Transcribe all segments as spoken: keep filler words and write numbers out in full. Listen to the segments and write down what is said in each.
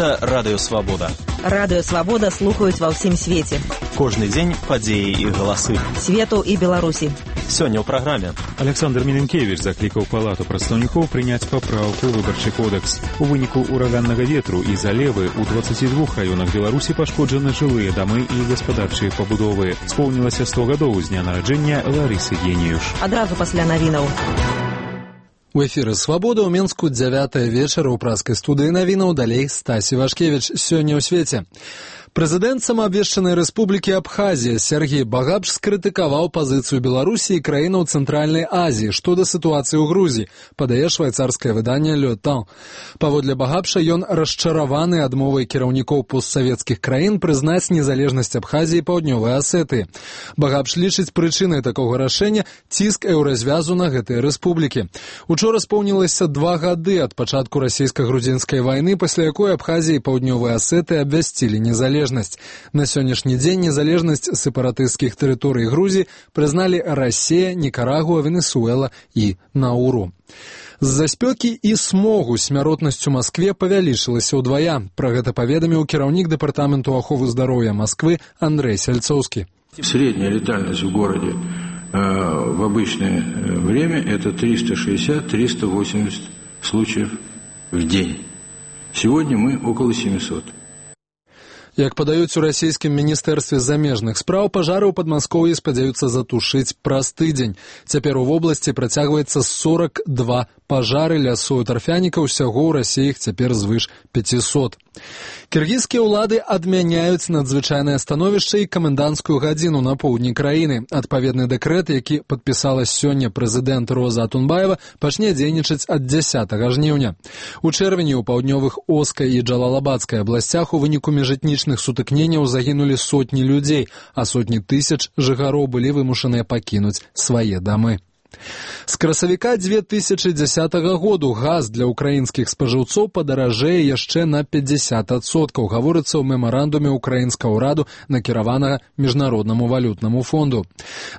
Гэта Радыё Свабода. Радыё Свабода слухаюць ва ўсім свеце. Кожны дзень падзеі і галасы. Свету і Беларусі. Сёння ў праграме. Александр Міленкевіч заклікаў палату прадстаўнікоў прыняць папраўку ў выбарчы кодекс. У выніку ураганнага ветру і залевы ў дваццаці двух раёнах Беларусі пашкоджаны жылыя дамы і гаспадарчыя пабудовы. Споўнілася сто гадоў з дня нараджэння Ларысы Геніюш. Адразу пасля навінаў. У эфіры «Свабода» ў Мінску дзявятая вечара ў праскай студыі навінаў, далей Стасі Вашкевіч. Сёння ў свеце. Прэзідэнт самаабвешчанай рэспублікі Абхазія Сергей Багапш скрытыкаваў пазіцыю Беларусі і краінаў Цэнтральнай Азіі што да сітуацыі ў Грузіі, падае швайцарскае выданне «Le Temps». Паводле Багапша ён расчараваны адмовай кіраўнікоў постсавецкіх краін прызнаць незалежнасць Абхазіі і Паўднёвай Асетыі. Багапш лічыць прычынай такога рашэння ціск еўразвязу на гэтыя рэспублікі. Учора споўнілася два гады ад пачатку расійска-грузінскай вайны, пасля якой Абхазія і Паўднёвая Асетыя абвясцілі незалежнасць. На сённяшні дзень незалежнасць сепаратысцкіх тэрыторый Грузіі прызналі Расія, Нікарагуа, Венесуэла і Науру. З-за спёкі і смогу смяротнасць у Маскве павялічылася ўдвая. Пра гэта паведаміў кіраўнік дэпартаменту аховы здароўя Масквы Андрей Сальцоўскі. Средняя летальность в городе э, в обычное время это триста шестьдесят - триста восемьдесят случаев в день. Сегодня мы около семисот. Як падаюць у расійскім міністэрстве замежных спраў, пажары ў Падмаскоўі спадзяюцца затушыць праз тыдзень. Цяпер у вобласці працягваецца сорок два пажары лясоў і тарфяніка, усяго ў Расіі іх цяпер звыш пяцісот. Кіргізскія ўлады адмяняюць надзвычайнае становішча і каменданцкую гадзіну на поўдні краіны. Адпаведны дэкрэт, які падпісала сёння прэзідэнт Роза Атунбаева, пачне дзейнічаць ад дзясятага жніўня. У чэрвені ў паўднёвых Оскай і Джалалабадскай абласцях у выніку міжэтнічных сутыкненняў загінулі сотні людзей, а сотні тысяч жыхароў былі вымушаныя пакінуць свае дамы. З красавіка дзве тысячы дзесятага году газ для ўкраінскіх спажыўцоў падаражэе яшчэ на пятьдесят адсоткаў, гаворыцца ў мемарандуме ўкраінскага ўраду, накіраванага міжнароднаму валютнаму фонду.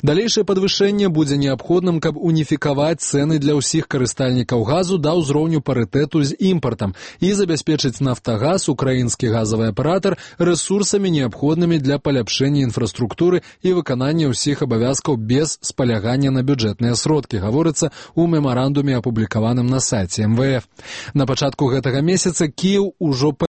Далейшае падвышэнне будзе неабходным, каб уніфікаваць цэны для ўсіх карыстальнікаў газу да ўзроўню парытэту з імпартам і забяспечыць «Нафтагаз», украінскі газавы аператар, рэсурсамі неабходнымі для паляпшэння інфраструктуры і выканання ўсіх абавязкаў без спалягання на бюджэтныя сродкі, гаворыцца ў мемарандуме, апублікаваным на сайце эм вэ эф. На пачатку гэтага месяца Кіеў ужо